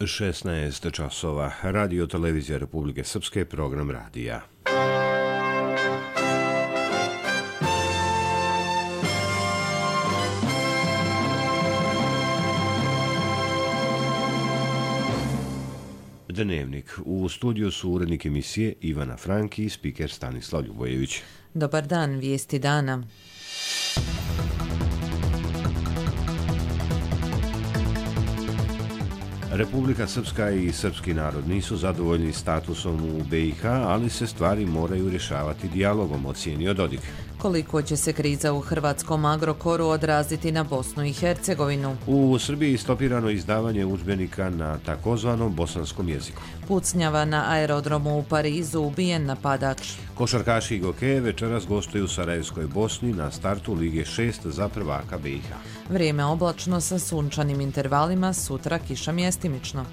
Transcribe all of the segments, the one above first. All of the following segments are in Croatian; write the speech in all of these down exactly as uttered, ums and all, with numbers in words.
šesnaest časova. Radio Televizija Republike Srpske, program radija. Dnevnik. U studiju su urednik emisije Ivana Franki i spiker Stanislav Ljubojević. Dobar dan, vijesti dana. Republika Srpska i srpski narod nisu zadovoljni statusom u B i H, ali se stvari moraju rješavati dijalogom, ocijenio Dodik. Koliko će se kriza u hrvatskom Agrokoru odraziti na Bosnu i Hercegovinu? U Srbiji stopirano izdavanje udžbenika na takozvanom bosanskom jeziku. Pucnjava na aerodromu u Parizu, ubijen napadač. Košarkaši Gokeje večeras gostuju u Sarajevskoj Bosni na startu Lige šest za prvaka B i H. Vrijeme oblačno sa sunčanim intervalima, sutra kiša mjestimično.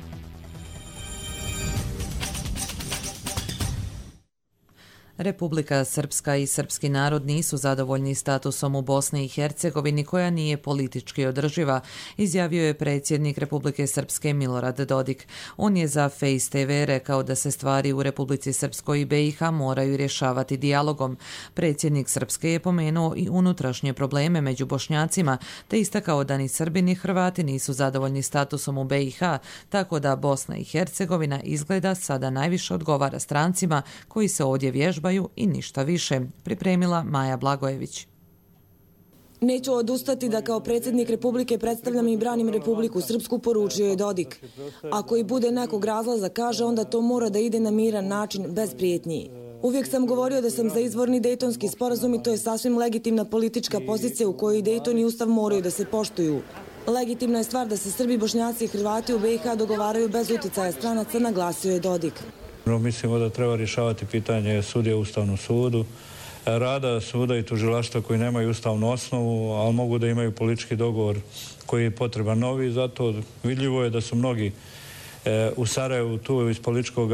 Republika Srpska i srpski narod nisu zadovoljni statusom u Bosni i Hercegovini koja nije politički održiva, izjavio je predsjednik Republike Srpske Milorad Dodik. On je za Face te ve rekao da se stvari u Republici Srpskoj i B i H moraju rješavati dijalogom. Predsjednik Srpske je pomenuo i unutrašnje probleme među Bošnjacima, te istakao da ni Srbi ni Hrvati nisu zadovoljni statusom u B i H, tako da Bosna i Hercegovina izgleda sada najviše odgovara strancima koji se ovdje vježbaju i ništa više, pripremila Maja Blagojević. Neću odustati da kao predsjednik Republike predstavljam i branim Republiku Srpsku, poručio je Dodik. Ako i bude nekog razlaza, kaže, onda to mora da ide na miran način, bez prijetnji. Uvijek sam govorio da sam za izvorni Dejtonski sporazum i to je sasvim legitimna politička pozicija u kojoj Dejton i Ustav moraju da se poštuju. Legitimna je stvar da se Srbi, Bošnjaci i Hrvati u B i H dogovaraju bez uticaja stranaca, naglasio je Dodik. Mislimo da treba rješavati pitanje sudija u Ustavnom sudu, rada suda i tužilaštva koji nemaju ustavnu osnovu, ali mogu da imaju politički dogovor koji je potreban novi. Zato vidljivo je da su mnogi u Sarajevu, tu iz političkog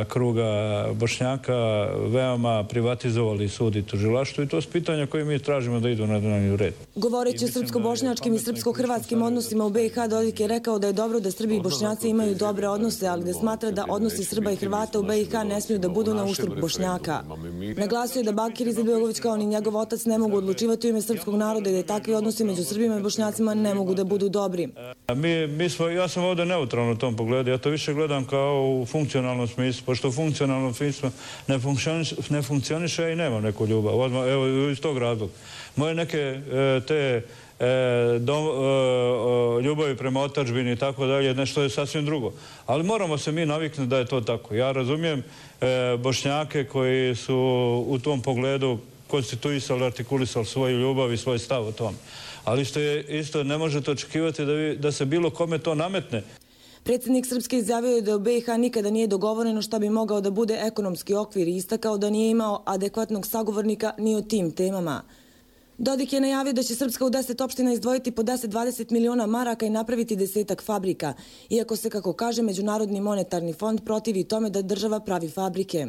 kruga Bošnjaka, veoma privatizovali sud i tužilaštvo i to su pitanja koje mi tražimo da idu na dnevni red. Govoreći o srpsko-bošnjačkim i srpsko-hrvatskim odnosima u B i H, Dodik je rekao da je dobro da Srbi i Bošnjaci imaju dobre odnose, ali da smatra da odnosi Srba i Hrvata u B i H ne smiju da budu na uštrb Bošnjaka. Naglasio je da Bakir Izetbegović kao ni njegov otac ne mogu odlučivati u ime srpskog naroda i da je takvi odnosi među Srbima i Bošnjacima ne mogu da budu dobri. Mi, mi smo, ja sam ovdje neutralno u tom pogledu. Ja to više gledam kao u funkcionalnom smislu, pošto u funkcionalnom smislu ne, funkcioniš, ne funkcioniše i nemam neku ljubav. Odmah, evo, iz tog razloga. Moje neke e, te e, dom, e, ljubavi prema otadžbini i tako dalje, nešto je sasvim drugo. Ali moramo se mi naviknuti da je to tako. Ja razumijem e, Bošnjake koji su u tom pogledu konstituisali, artikulisali svoju ljubav i svoj stav o tome. Ali isto, je, isto ne možete očekivati da, vi, da se bilo kome to nametne. Predsjednik Srpske izjavio je da u B i H nikada nije dogovoreno šta bi mogao da bude ekonomski okvir i istakao da nije imao adekvatnog sagovornika ni o tim temama. Dodik je najavio da će Srpska u deset opština izdvojiti po deset do dvadeset miliona maraka i napraviti desetak fabrika, iako se, kako kaže Međunarodni monetarni fond, protivi tome da država pravi fabrike.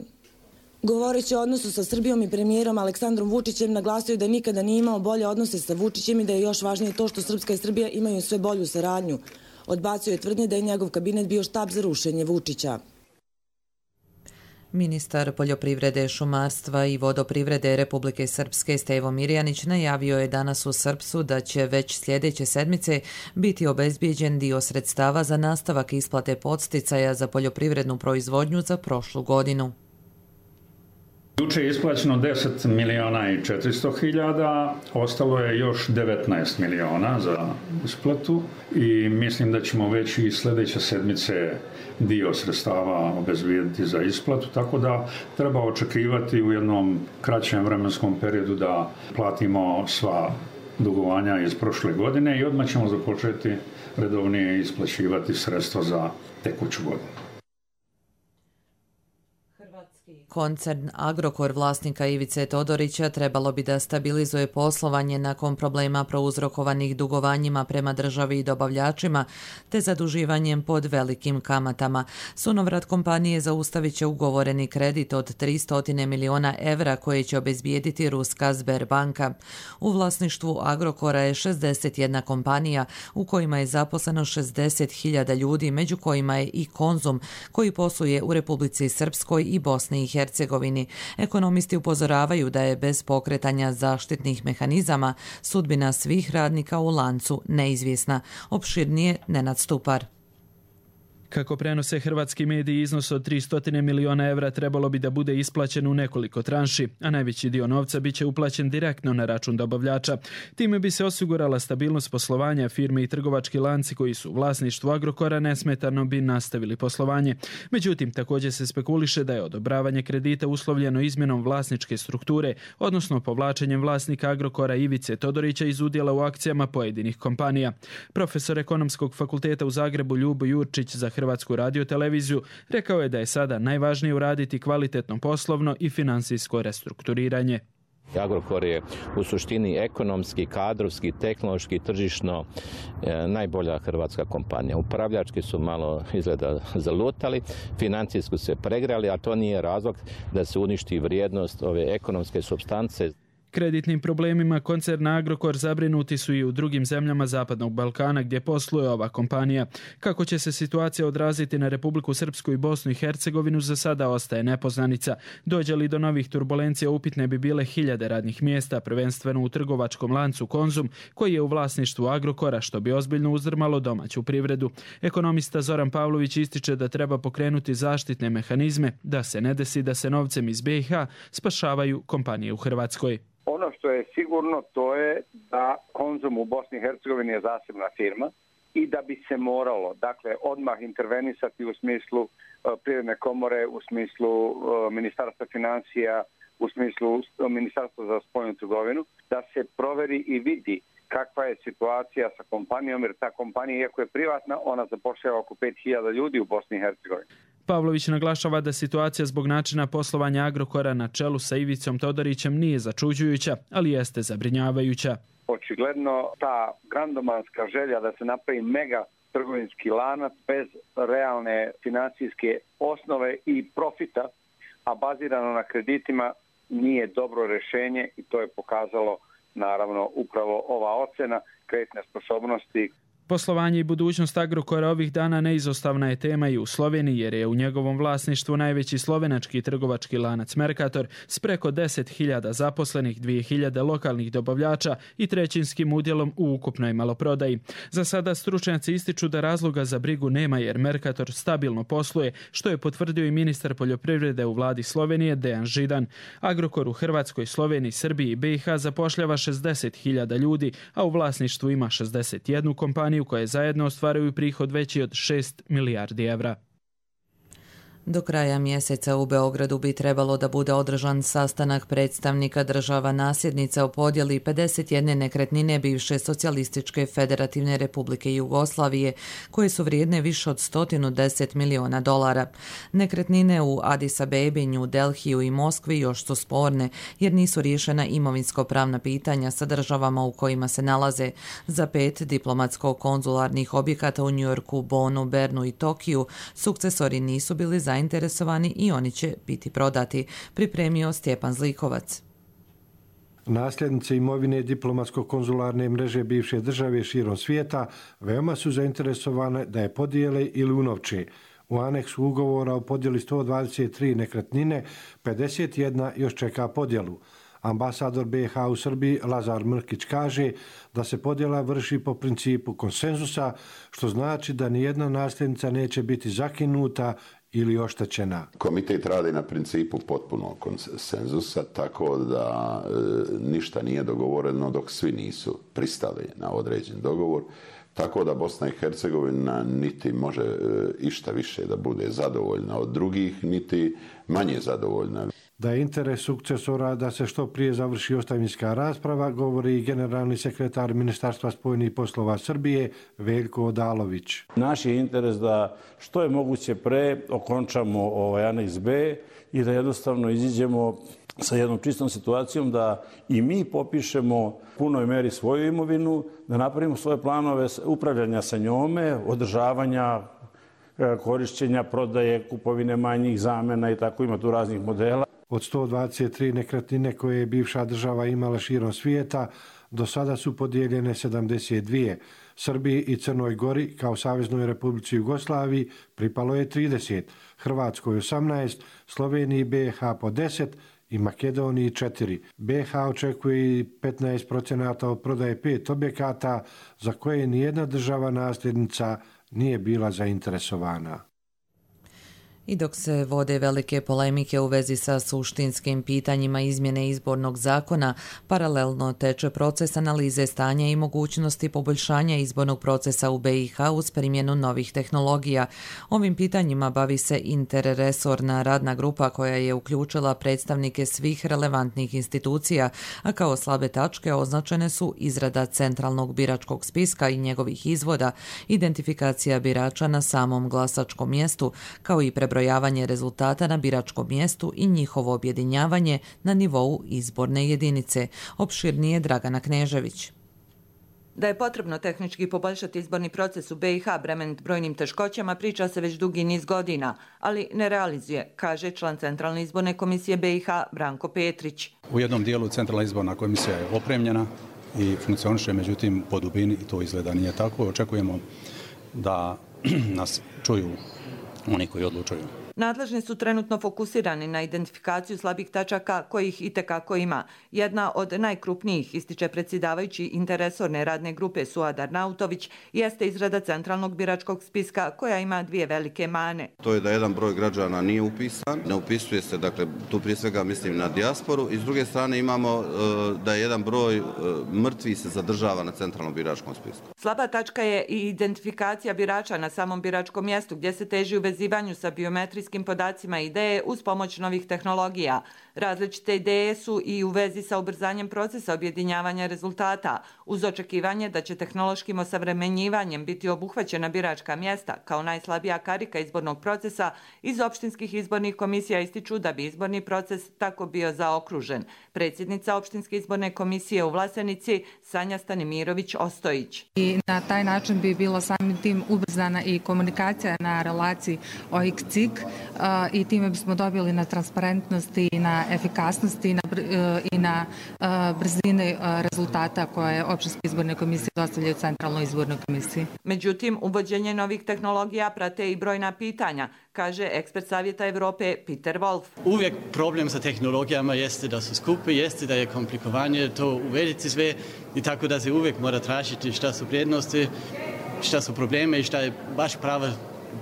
Govoreći o odnosu sa Srbijom i premijerom Aleksandrom Vučićem, naglasio je da nikada nije imao bolje odnose sa Vučićem i da je još važnije to što Srpska i Srbija imaju sve bolju saradnju. Odbacio je tvrdnje da je njegov kabinet bio štab za rušenje Vučića. Ministar poljoprivrede, šumarstva i vodoprivrede Republike Srpske Stevo Mirjanić najavio je danas u Srpsu da će već sljedeće sedmice biti obezbijeđen dio sredstava za nastavak isplate podsticaja za poljoprivrednu proizvodnju za prošlu godinu. Juče je isplaćeno deset miliona i četiristo hiljada, ostalo je još devetnaest miliona za isplatu i mislim da ćemo već i sljedeće sedmice dio sredstava obezbijediti za isplatu, tako da treba očekivati u jednom kraćem vremenskom periodu da platimo sva dugovanja iz prošle godine i odmah ćemo započeti redovnije isplaćivati sredstva za tekuću godinu. Koncern Agrokor vlasnika Ivice Todorića trebalo bi da stabilizuje poslovanje nakon problema prouzrokovanih dugovanjima prema državi i dobavljačima te zaduživanjem pod velikim kamatama. Sunovrat kompanije zaustavit će ugovoreni kredit od tristo miliona evra koje će obezbijediti ruska Sberbanka. U vlasništvu Agrokora je šezdeset jedna kompanija u kojima je zaposleno šezdeset hiljada ljudi, među kojima je i Konzum koji posluje u Republici Srpskoj i Bosni i Hercegovini. Ekonomisti upozoravaju da je bez pokretanja zaštitnih mehanizama sudbina svih radnika u lancu neizvjesna. Opširnije Nenad Stupar. Kako prenose hrvatski mediji, iznos od tristo miliona evra trebalo bi da bude isplaćen u nekoliko tranši, a najveći dio novca biće uplaćen direktno na račun dobavljača. Time bi se osigurala stabilnost poslovanja, firme i trgovački lanci koji su u vlasništvu Agrokora nesmetano bi nastavili poslovanje. Međutim, također se spekuliše da je odobravanje kredita uslovljeno izmjenom vlasničke strukture, odnosno povlačenjem vlasnika Agrokora Ivice Todorića iz udjela u akcijama pojedinih kompanija. Profesor Ekonomskog fakulteta u Zagrebu Ljubo Jurčić za Hrvatsku radioteleviziju rekao je da je sada najvažnije uraditi kvalitetno poslovno i financijsko restrukturiranje. Agrokor je u suštini ekonomski, kadrovski, tehnološki, tržišno e, najbolja hrvatska kompanija. Upravljački su malo izgleda zalutali, financijski se pregrali, a to nije razlog da se uništi vrijednost ove ekonomske supstance. Kreditnim problemima koncerna Agrokor zabrinuti su i u drugim zemljama Zapadnog Balkana gdje posluje ova kompanija. Kako će se situacija odraziti na Republiku Srpsku i Bosnu i Hercegovinu za sada ostaje nepoznanica. Dođe li do novih turbulencija upitne bi bile hiljade radnih mjesta, prvenstveno u trgovačkom lancu Konzum koji je u vlasništvu Agrokora, što bi ozbiljno uzdrmalo domaću privredu. Ekonomista Zoran Pavlović ističe da treba pokrenuti zaštitne mehanizme da se ne desi da se novcem iz B i H spašavaju kompanije u Hrvatskoj. Ono što je sigurno to je da Konzum u Bosni i Hercegovini je zasebna firma i da bi se moralo, dakle, odmah intervenisati u smislu uh, Privredne komore, u smislu uh, Ministarstva financija, u smislu uh, Ministarstva za spoljnu trgovinu, da se proveri i vidi kakva je situacija sa kompanijom, jer ta kompanija, iako je privatna, ona zapošljava oko pet hiljada ljudi u Bosni i Hercegovini. Pavlović naglašava da situacija zbog načina poslovanja Agrokora na čelu sa Ivicom Todorićem nije začuđujuća, ali jeste zabrinjavajuća. Očigledno ta grandomanska želja da se napravi mega trgovinski lanac bez realne financijske osnove i profita, a bazirano na kreditima, nije dobro rješenje i to je pokazalo naravno upravo ova ocjena kreditne sposobnosti. Poslovanje i budućnost Agrokora ovih dana neizostavna je tema i u Sloveniji, jer je u njegovom vlasništvu najveći slovenački trgovački lanac Mercator s preko deset hiljada zaposlenih, dvije hiljade lokalnih dobavljača i trećinskim udjelom u ukupnoj maloprodaji. Za sada stručnjaci ističu da razloga za brigu nema jer Mercator stabilno posluje, što je potvrdio i ministar poljoprivrede u vladi Slovenije Dejan Židan. Agrokor u Hrvatskoj, Sloveniji, Srbiji i B i H zapošljava šezdeset hiljada ljudi, a u vlasništvu ima šezdeset jednu kompaniju koje zajedno ostvaruju prihod veći od šest milijardi evra. Do kraja mjeseca u Beogradu bi trebalo da bude održan sastanak predstavnika država nasljednica o podjeli pedeset jedne nekretnine bivše Socijalističke federativne republike Jugoslavije, koje su vrijedne više od sto deset miliona dolara. Nekretnine u Adis Abebi, New Delhiju i Moskvi još su sporne, jer nisu riješena imovinsko-pravna pitanja sa državama u kojima se nalaze. Za pet diplomatsko-konzularnih objekata u Njujorku, Bonu, Bernu i Tokiju sukcesori nisu bili zainteresovani zainteresovani i oni će biti prodati, pripremio Stjepan Zlikovac. Nasljednice imovine diplomatsko-konzularne mreže bivše države širom svijeta veoma su zainteresovane da je podijele ili unovče. U aneksu ugovora o podjeli sto dvadeset tri nekretnine, pedeset jedna još čeka podjelu. Ambasador B i H u Srbiji Lazar Mrkić kaže da se podjela vrši po principu konsenzusa, što znači da nijedna nasljednica neće biti zakinuta ili oštećena. Komitet radi na principu potpunog konsenzusa, tako da e, ništa nije dogovoreno dok svi nisu pristali na određen dogovor, tako da Bosna i Hercegovina niti može e, išta više da bude zadovoljna od drugih, niti manje zadovoljna. Da je interes sukcesora da se što prije završi ostavinska rasprava, govori generalni sekretar Ministarstva spoljnih poslova Srbije Veljko Odalović. Naš je interes da što je moguće pre okončamo ovaj aneks B i da jednostavno iziđemo sa jednom čistom situacijom da i mi popišemo punoj meri svoju imovinu, da napravimo svoje planove upravljanja sa njome, održavanja, korišćenja, prodaje, kupovine manjih zamena i tako, ima tu raznih modela. Od sto dvadeset tri nekretnine koje je bivša država imala širom svijeta, do sada su podijeljene sedamdeset dvije. Srbiji i Crnoj Gori kao Saveznoj Republici Jugoslaviji pripalo je trideset, Hrvatskoj osamnaest, Sloveniji i B i H po deset i Makedoniji četiri. B i H očekuje i petnaest procenata od prodaje pet objekata za koje nijedna država nasljednica nije bila zainteresovana. I dok se vode velike polemike u vezi sa suštinskim pitanjima izmjene izbornog zakona, paralelno teče proces analize stanja i mogućnosti poboljšanja izbornog procesa u B i H uz primjenu novih tehnologija. Ovim pitanjima bavi se interresorna radna grupa koja je uključila predstavnike svih relevantnih institucija, a kao slabe tačke označene su izrada centralnog biračkog spiska i njegovih izvoda, identifikacija birača na samom glasačkom mjestu, kao i prebrojavanje prebrojavanje rezultata na biračkom mjestu i njihovo objedinjavanje na nivou izborne jedinice. Opširnije Dragana Knežević. Da je potrebno tehnički poboljšati izborni proces u B i H bremenit brojnim teškoćama priča se već dugi niz godina, ali ne realizuje, kaže član Centralne izborne komisije B i H Branko Petrić. U jednom dijelu Centralna izborna komisija je opremljena i funkcioniše, međutim po dubini to izgleda nije tako. Očekujemo da nas čuju oni koji odlučuju. Nadležni su trenutno fokusirani na identifikaciju slabih tačaka kojih itekako ima. Jedna od najkrupnijih, ističe predsjedavajući interresorne radne grupe Suad Arnautović, jeste izrada centralnog biračkog spiska koja ima dvije velike mane. To je da jedan broj građana nije upisan, ne upisuje se, dakle tu prije svega mislim na dijasporu, i s druge strane imamo da je jedan broj mrtvih se zadržava na centralnom biračkom spisku. Slaba tačka je i identifikacija birača na samom biračkom mjestu gdje se teži u vezivanju sa biometrijskim podacima i ideje uz pomoć novih tehnologija. Različite ideje su i u vezi sa ubrzanjem procesa objedinjavanja rezultata, uz očekivanje da će tehnološkim osavremenjivanjem biti obuhvaćena biračka mjesta kao najslabija karika izbornog procesa. Iz opštinskih izbornih komisija ističu da bi izborni proces tako bio zaokružen. Predsjednica opštinske izborne komisije u Vlasenici Sanja Stanimirović-Ostojić. I na taj način bi bilo samim tim ubrzana i komunikacija na relaciji O X C I K i time bismo dobili na transparentnosti i na efikasnosti i na, i na brzini rezultata koje opštinske izborne komisije dostavljaju Centralnoj izbornoj komisiji. Međutim, uvođenje novih tehnologija prate i brojna pitanja, kaže ekspert Savjeta Evrope Peter Wolf. Uvijek problem sa tehnologijama jeste da su skupe, jeste da je komplikovanje to uvediti sve i tako da se uvijek mora tražiti šta su prednosti, šta su probleme i šta je baš prava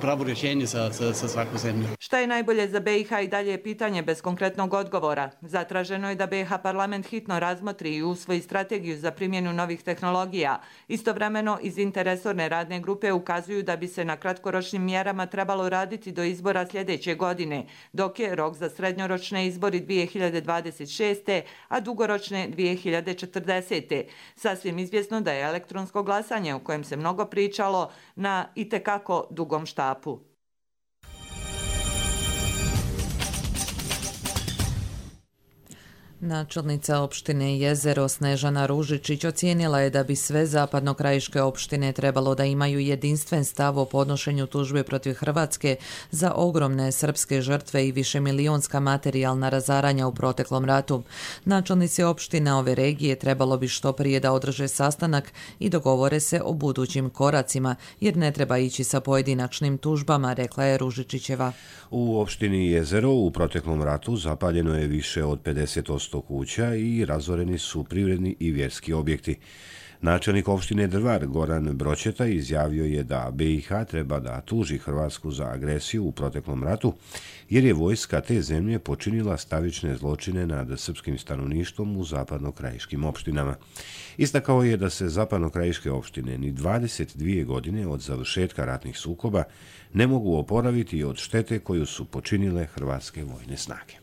pravo rješenje za, za, za svaku zemlju. Šta je najbolje za B i H i dalje je pitanje bez konkretnog odgovora. Zatraženo je da B i H parlament hitno razmotri i usvoji strategiju za primjenu novih tehnologija. Istovremeno iz interresorne radne grupe ukazuju da bi se na kratkoročnim mjerama trebalo raditi do izbora sljedeće godine, dok je rok za srednjoročne izbori dvije hiljade dvadeset šeste. a dugoročne dvije hiljade četrdesete. Sasvim izvjesno da je elektronsko glasanje, o kojem se mnogo pričalo, na itekako dugom štapu. Načelnica opštine Jezero Snežana Ružičić ocijenila je da bi sve zapadnokrajiške opštine trebalo da imaju jedinstven stav o podnošenju tužbe protiv Hrvatske za ogromne srpske žrtve i višemilionska materijalna razaranja u proteklom ratu. Načelnici opština ove regije trebalo bi što prije da održe sastanak i dogovore se o budućim koracima, jer ne treba ići sa pojedinačnim tužbama, rekla je Ružičićeva. U opštini Jezero u proteklom ratu zapaljeno je više od pedeset posto kuća i razoreni su privredni i vjerski objekti. Načelnik opštine Drvar Goran Bročeta izjavio je da B i H treba da tuži Hrvatsku za agresiju u proteklom ratu, jer je vojska te zemlje počinila stravične zločine nad srpskim stanovništvom u zapadnokrajiškim opštinama. Istakao je da se zapadnokrajiške opštine ni dvadeset dvije godine od završetka ratnih sukoba ne mogu oporaviti od štete koju su počinile hrvatske vojne snage.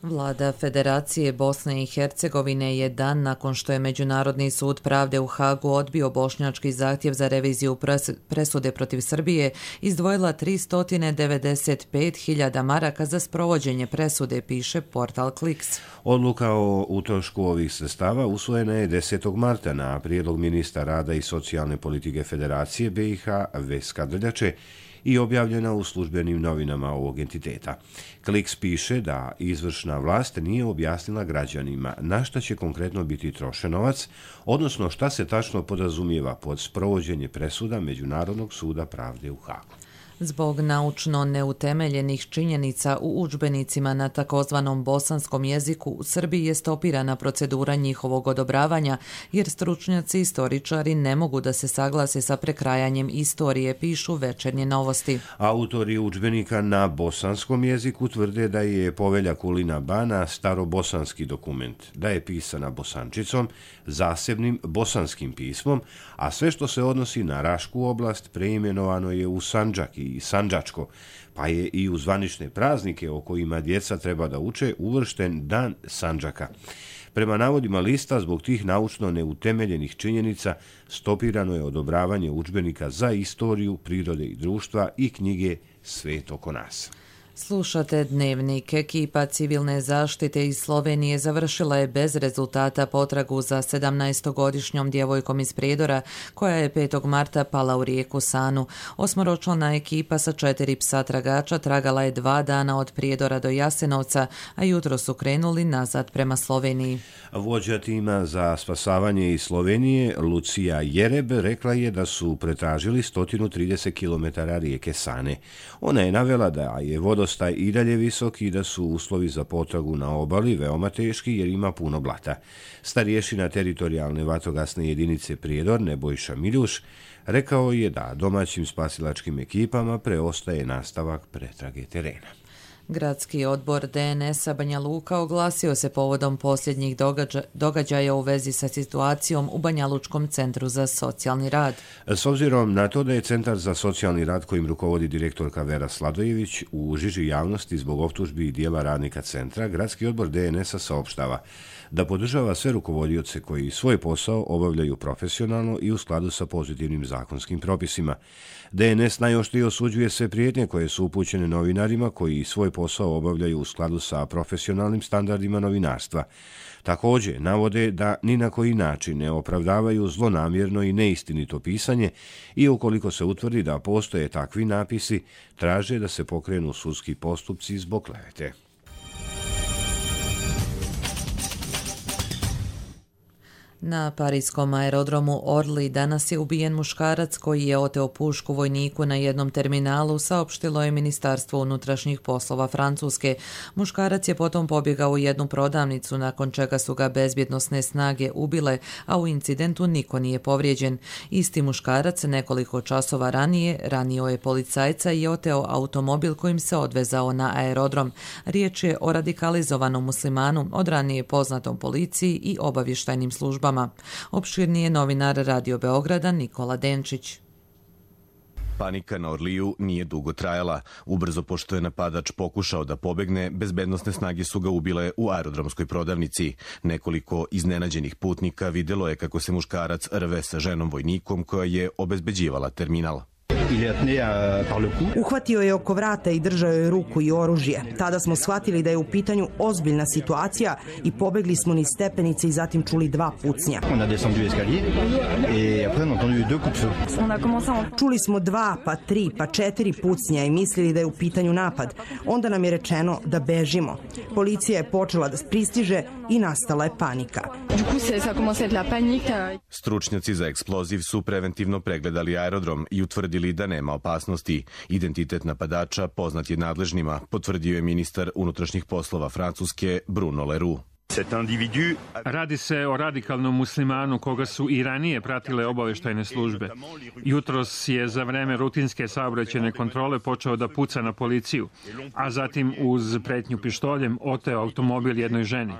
Vlada Federacije Bosne i Hercegovine je dan nakon što je Međunarodni sud pravde u Hagu odbio bošnjački zahtjev za reviziju presude protiv Srbije izdvojila tristo devedeset pet hiljada maraka za sprovođenje presude, piše portal Kliks. Odluka o utrošku ovih sredstava usvojena je desetog marta na prijedlog ministra rada i socijalne politike Federacije B i H Veska Drljače i objavljena u službenim novinama ovog entiteta. Kliks piše da izvršna vlast nije objasnila građanima na šta će konkretno biti trošen novac, odnosno šta se tačno podrazumijeva pod sprovođenje presuda Međunarodnog suda pravde u Hagu. Zbog naučno neutemeljenih činjenica u udžbenicima na takozvanom bosanskom jeziku u Srbiji je stopirana procedura njihovog odobravanja, jer stručnjaci i istoričari ne mogu da se saglase sa prekrajanjem istorije, pišu Večernje novosti. Autori udžbenika na bosanskom jeziku tvrde da je Povelja Kulina Bana starobosanski dokument, da je pisana bosančicom, zasebnim bosanskim pismom, a sve što se odnosi na Rašku oblast preimenovano je u Sandžak i Sandžačko, pa je i u zvanične praznike o kojima djeca treba da uče uvršten Dan Sandžaka. Prema navodima lista, zbog tih naučno neutemeljenih činjenica stopirano je odobravanje udžbenika za istoriju, prirode i društva i knjige Svet oko nas. Slušate Dnevnik. Ekipa civilne zaštite iz Slovenije završila je bez rezultata potragu za sedamnaestogodišnjom djevojkom iz Prijedora, koja je petog marta pala u rijeku Sanu. Osmoročlana ekipa sa četiri psa tragača tragala je dva dana od Prijedora do Jasenovca, a jutro su krenuli nazad prema Sloveniji. Vođa tima za spasavanje iz Slovenije, Lucija Jereb, rekla je da su pretražili sto trideset kilometara rijeke Sane. Ona je navela da je vodostaj i dalje visok i da su uslovi za potragu na obali veoma teški jer ima puno blata. Starješina teritorijalne vatrogasne jedinice Prijedor, Nebojša Miljuš, rekao je da domaćim spasilačkim ekipama preostaje nastavak pretrage terena. Gradski odbor D N S-a Banja Luka oglasio se povodom posljednjih događa, događaja u vezi sa situacijom u Banjalučkom centru za socijalni rad. S obzirom na to da je Centar za socijalni rad kojim rukovodi direktorka Vera Sladojević u žiži javnosti zbog optužbi i dijela radnika centra, Gradski odbor D N S-a saopštava da podržava sve rukovodioce koji svoj posao obavljaju profesionalno i u skladu sa pozitivnim zakonskim propisima. D N S najoštrije osuđuje sve prijetnje koje su upućene novinarima koji svoj posao obavljaju u skladu sa profesionalnim standardima novinarstva. Također navode da ni na koji način ne opravdavaju zlonamjerno i neistinito pisanje i ukoliko se utvrdi da postoje takvi napisi, traže da se pokrenu sudski postupci zbog klevete. Na parijskom aerodromu Orly danas je ubijen muškarac koji je oteo pušku vojniku na jednom terminalu, saopštilo je Ministarstvo unutrašnjih poslova Francuske. Muškarac je potom pobjegao u jednu prodavnicu, nakon čega su ga bezbjednosne snage ubile, a u incidentu niko nije povrijeđen. Isti muškarac nekoliko časova ranije ranio je policajca i oteo automobil kojim se odvezao na aerodrom. Riječ je o radikalizovanom muslimanu, od ranije poznatom policiji i obavještajnim službama. Opširnije novinar Radio Beograda Nikola Denčić. Panika na Orliju nije dugo trajala. Ubrzo pošto je napadač pokušao da pobegne, bezbednosne snage su ga ubile u aerodromskoj prodavnici. Nekoliko iznenađenih putnika vidjelo je kako se muškarac rve sa ženom vojnikom koja je obezbeđivala terminal. Uhvatio je oko vrata i držao je ruku i oružje. Tada smo shvatili da je u pitanju ozbiljna situacija i pobegli smo niz stepenice i zatim čuli dva pucnja. Čuli smo dva, pa tri, pa četiri pucnja i mislili da je u pitanju napad. Onda nam je rečeno da bežimo. Policija je počela da pristiže i nastala je panika. Stručnjaci za eksploziv su preventivno pregledali aerodrom i utvrdili da nema opasnosti. Identitet napadača poznat je nadležnima, potvrdio je ministar unutrašnjih poslova Francuske Bruno Leroux. Radi se o radikalnom muslimanu koga su i ranije pratile obavještajne službe. Jutros je za vreme rutinske saobraćajne kontrole počeo da puca na policiju, a zatim uz pretnju pištoljem oteo automobil jednoj ženi.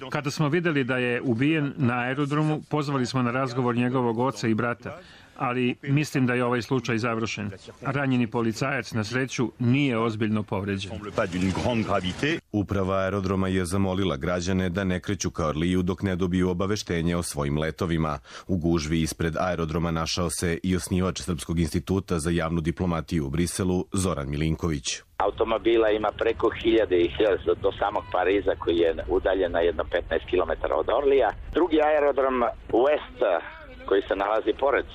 Kada smo vidjeli da je ubijen na aerodromu, pozvali smo na razgovor njegovog oca i brata. ali mislim da je ovaj slučaj završen. Ranjeni policajac na sreću nije ozbiljno povređen. Uprava aerodroma je zamolila građane da ne kreću ka Orliju dok ne dobiju obaveštenje o svojim letovima. U gužvi ispred aerodroma našao se i osnivač Srpskog instituta za javnu diplomatiju u Briselu, Zoran Milinković. Automobila ima preko hiljade i hiljade do samog Pariza koji je udaljen na jedno petnaest kilometara od Orlija. Drugi aerodrom West koji se nalazi pored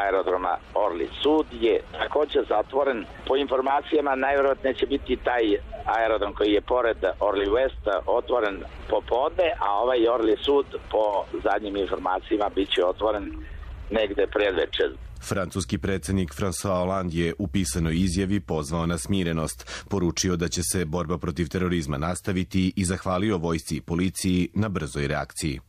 aerodroma Orly Sud je također zatvoren. Po informacijama najvjerojatnije će biti taj aerodrom koji je pored Orly West otvoren popodne, a ovaj Orly Sud po zadnjim informacijama bit će otvoren negde predvečer. Francuski predsjednik François Hollande je u pisanoj izjavi pozvao na smirenost, poručio da će se borba protiv terorizma nastaviti i zahvalio vojsci i policiji na brzoj reakciji.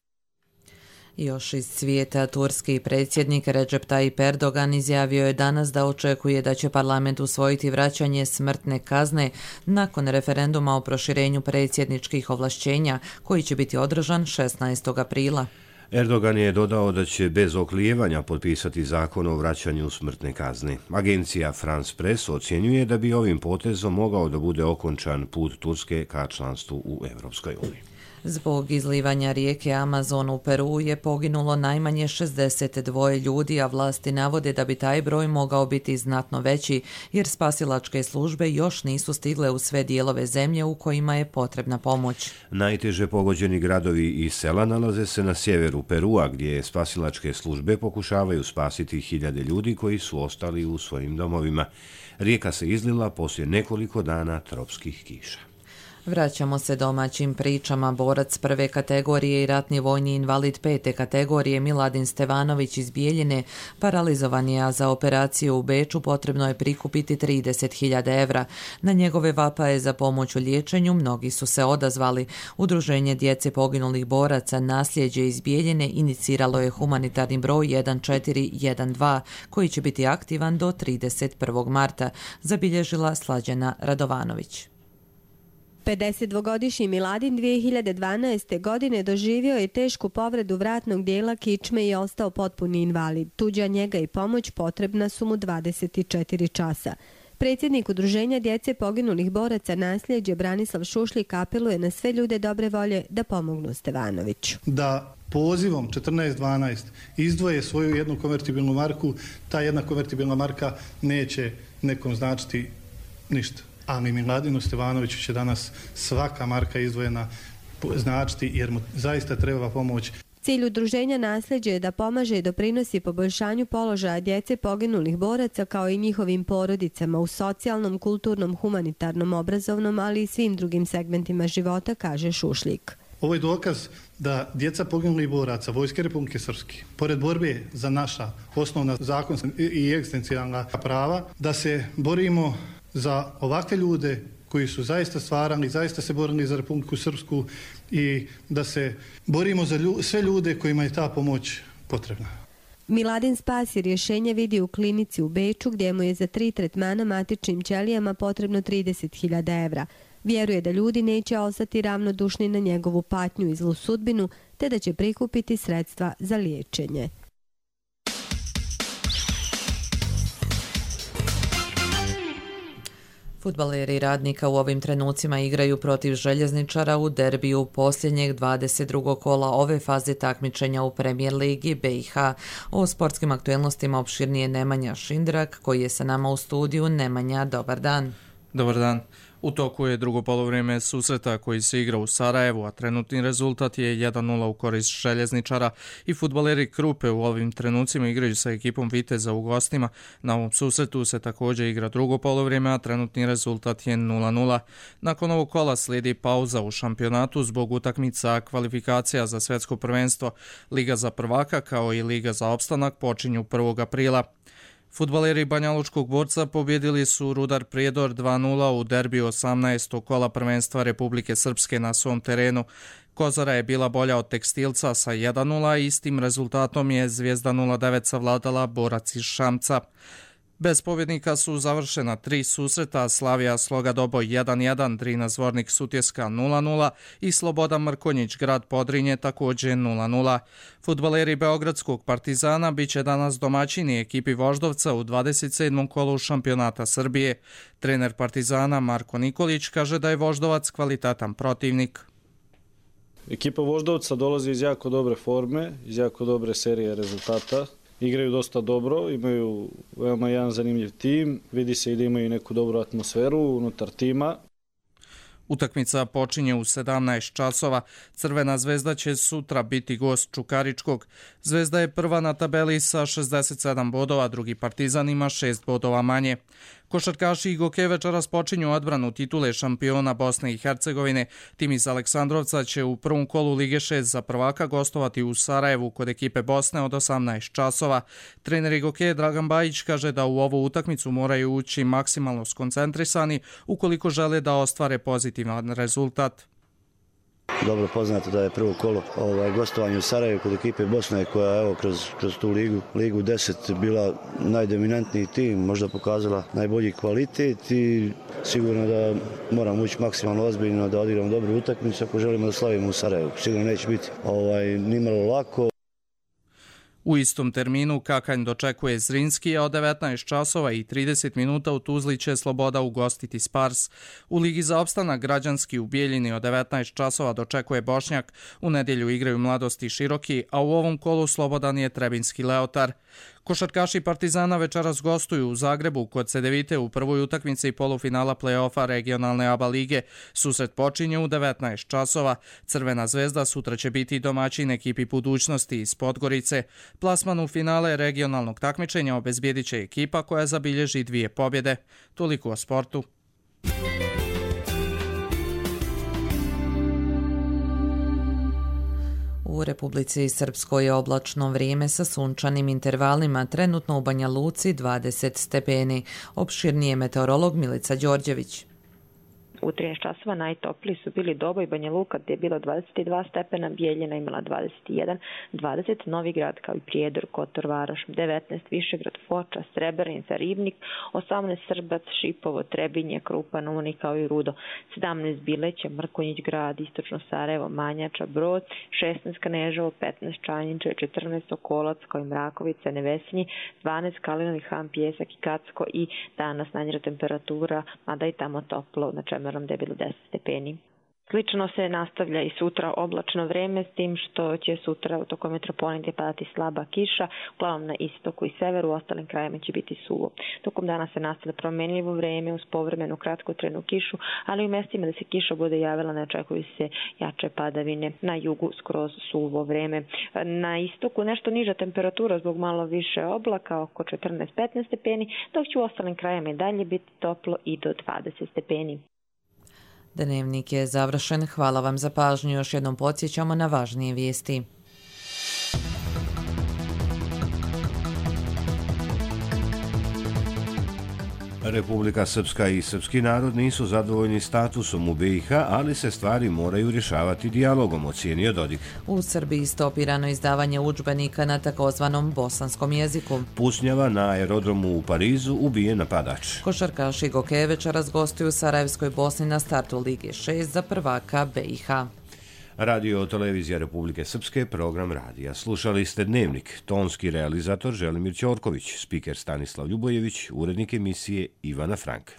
Još iz svijeta, turski predsjednik Recep Tayyip Erdogan izjavio je danas da očekuje da će parlament usvojiti vraćanje smrtne kazne nakon referenduma o proširenju predsjedničkih ovlašćenja koji će biti održan šesnaestog aprila. Erdogan je dodao da će bez oklijevanja potpisati zakon o vraćanju smrtne kazne. Agencija France Press ocjenjuje da bi ovim potezom mogao da bude okončan put Turske ka članstvu u Europskoj uniji. Zbog izlivanja rijeke Amazon u Peru je poginulo najmanje šezdeset dva ljudi, a vlasti navode da bi taj broj mogao biti znatno veći, jer spasilačke službe još nisu stigle u sve dijelove zemlje u kojima je potrebna pomoć. Najteže pogođeni gradovi i sela nalaze se na sjeveru Perua, gdje spasilačke službe pokušavaju spasiti hiljade ljudi koji su ostali u svojim domovima. Rijeka se izlila poslije nekoliko dana tropskih kiša. Vraćamo se domaćim pričama. Borac prve kategorije i ratni vojni invalid pete kategorije Miladin Stevanović iz Bijeljine paralizovan je, a za operaciju u Beču potrebno je prikupiti trideset hiljada evra. Na njegove vapaje za pomoć u liječenju mnogi su se odazvali. Udruženje djece poginulih boraca Nasljeđe iz Bijeljine iniciralo je humanitarni broj jedan četiri jedan dva koji će biti aktivan do trideset prvog marta, zabilježila Slađana Radovanović. pedesetdvogodišnji Miladin dvije hiljade dvanaeste. godine doživio je tešku povredu vratnog dijela kičme i ostao potpuni invalid. Tuđa njega i pomoć potrebna su mu dvadeset četiri časa. Predsjednik Udruženja djece poginulih boraca Nasljeđe Branislav Šušljik apeluje na sve ljude dobre volje da pomognu Stevanoviću. Da pozivom četrnaest dvanaest izdvoje svoju jednu konvertibilnu marku, ta jedna konvertibilna marka neće nekom značiti ništa. Ali Miladinu Stevanoviću će danas svaka marka izdvojena značiti jer mu zaista treba pomoć. Cilj udruženja Nasljeđe je da pomaže i doprinosi poboljšanju položaja djece poginulih boraca kao i njihovim porodicama u socijalnom, kulturnom, humanitarnom, obrazovnom, ali i svim drugim segmentima života, kaže Šušljik. Ovo je dokaz da djeca poginulih boraca Vojske Republike Srpske, pored borbe za naša osnovna zakonska i egzistencijalna prava, da se borimo za ovakve ljude koji su zaista stvarali, zaista se borili za Republiku Srpsku i da se borimo za lju, sve ljude kojima je ta pomoć potrebna. Miladin Spas je rješenje vidi u klinici u Beču gdje mu je za tri tretmana matičnim ćelijama potrebno trideset hiljada evra. Vjeruje da ljudi neće ostati ravnodušni na njegovu patnju i zlu sudbinu, te da će prikupiti sredstva za liječenje. Fudbaleri Radnika u ovim trenucima igraju protiv Željezničara u derbiju posljednjeg dvadeset drugog kola ove faze takmičenja u Premier Ligi B i H. O sportskim aktuelnostima opširnije Nemanja Šindrak, koji je sa nama u studiju. Nemanja, dobar dan. Dobar dan. U toku je drugo polovrijeme susreta koji se igra u Sarajevu, a trenutni rezultat je jedan nula u korist Željezničara i fudbaleri Krupe u ovim trenucima igraju sa ekipom Viteza u gostima. Na ovom susretu se također igra drugo polovrijeme, a trenutni rezultat je nula nula. Nakon ovog kola slijedi pauza u šampionatu zbog utakmica kvalifikacija za svjetsko prvenstvo. Liga za prvaka kao i Liga za opstanak počinju prvog aprila. Fudbaleri Banjalučkog Borca pobjedili su Rudar Prijedor dva nula u derbiju osamnaestog kola prvenstva Republike Srpske na svom terenu. Kozara je bila bolja od Tekstilca sa jedan nula i istim rezultatom je Zvijezda nula devet savladala Borac iz Šamca. Bez pobjednika su završena tri susreta, Slavija Sloga Doboj jedan jedan, Drina Zvornik Sutjeska nula nula i Sloboda Mrkonjić Grad Podrinje također nula nula. Fudbaleri Beogradskog Partizana bit će danas domaćini ekipi Voždovca u dvadeset sedmom kolu šampionata Srbije. Trener Partizana Marko Nikolić kaže da je Voždovac kvalitetan protivnik. Ekipa Voždovca dolazi iz jako dobre forme, iz jako dobre serije rezultata. Igraju dosta dobro, imaju veoma jedan zanimljiv tim, vidi se i da imaju neku dobru atmosferu unutar tima. Utakmica počinje u sedamnaest časova. Crvena zvezda će sutra biti gost Čukaričkog. Zvezda je prva na tabeli sa šezdeset sedam bodova, drugi Partizan ima šest bodova manje. Košarkaši i Goke večeras počinju odbranu titule šampiona Bosne i Hercegovine. Tim iz Aleksandrovca će u prvom kolu Lige šest za prvaka gostovati u Sarajevu kod ekipe Bosne od osamnaest časova. Trener Goke Dragan Bajić kaže da u ovu utakmicu moraju ući maksimalno skoncentrisani ukoliko žele da ostvare pozitivan rezultat. Dobro poznato da je prvo kolo ovaj, gostovanje u Sarajevu kod ekipe Bosne koja evo kroz, kroz tu ligu, ligu deset bila najdominantniji tim, možda pokazala najbolji kvalitet i sigurno da moramo ući maksimalno ozbiljno da odigramo dobru utakmicu ako želimo da slavimo u Sarajevu. Sigurno neće biti ovaj, nimalo lako. U istom terminu Kakanj dočekuje Zrinski, a od devetnaest časova i trideset minuta u Tuzli će Sloboda ugostiti Spars. U Ligi za opstanak Građanski u Bijeljini od devetnaest časova dočekuje Bošnjak. U nedjelju igraju Mladost i Široki, a u ovom kolu slobodan je Trebinski Leotar. Košarkaši Partizana večeras gostuju u Zagrebu kod Cedevite u prvoj utakmici polufinala play-offa regionalne A B A lige. Susret počinje u devetnaest časova. Crvena zvezda sutra će biti domaćin ekipi Budućnosti iz Podgorice. Plasman u finale regionalnog takmičenja obezbijedit će ekipa koja zabilježi dvije pobjede. Toliko o sportu. U Republici Srpskoj je oblačno vrijeme sa sunčanim intervalima, trenutno u Banja Luci dvadeset stepeni. Opširnije meteorolog Milica Đorđević. U trinaest časova najtopliji su bili Doboj, Banja Luka gdje je bilo dvadeset dva stepena, Bijeljina imala dvadeset jedan, dvadeset Novi Grad kao i Prijedor, Kotor, Varoš, devetnaest Višegrad, Foča, Srebrenica, Ribnik, osamnaest Srbac, Šipovo, Trebinje, Krupan, Uni kao i Rudo, sedamnaest Bileće, Mrkonjić Grad, Istočno Sarajevo, Manjača, Brod, šesnaest Kneževo, petnaest Čanjiče, četrnaest Okolac kao i Mrakovica, Nevesinji, dvanaest Kalinovi Han, Pjesak i Kacko i danas najniža temperatura, mada i tamo toplo, na čemu gdje je bilo deset stepeni. Slično se nastavlja i sutra oblačno vreme, s tim što će sutra u tokom metropolitne padati slaba kiša, uglavnom na istoku i severu, u ostalim krajevima će biti suvo. Tokom dana se nastavlja promenljivo vreme uz povremenu kratkotrajnu kišu, ali u mjestima da se kiša bude javila ne očekuju se jače padavine, na jugu skroz suvo vreme. Na istoku nešto niža temperatura zbog malo više oblaka, oko četrnaest do petnaest stepeni, dok će u ostalim krajevima i dalje biti toplo i do dvadeset stepeni. Dnevnik je završen. Hvala vam za pažnju. Još jednom podsjećamo na važnije vijesti. Republika Srpska i srpski narod nisu zadovoljni statusom u B i H, ali se stvari moraju rješavati dijalogom, ocijenio Dodik. U Srbiji stopirano izdavanje udžbenika na takozvanom bosanskom jeziku. Pucnjava na aerodromu u Parizu, ubijen napadač. Košarkaši Goke večeras gostuju u Sarajevskoj Bosni na startu Lige šest za prvaka B i H. Radio televizija Republike Srpske, program radija. Slušali ste Dnevnik, tonski realizator Želimir Ćorković, spiker Stanislav Ljubojević, urednik emisije Ivana Frank.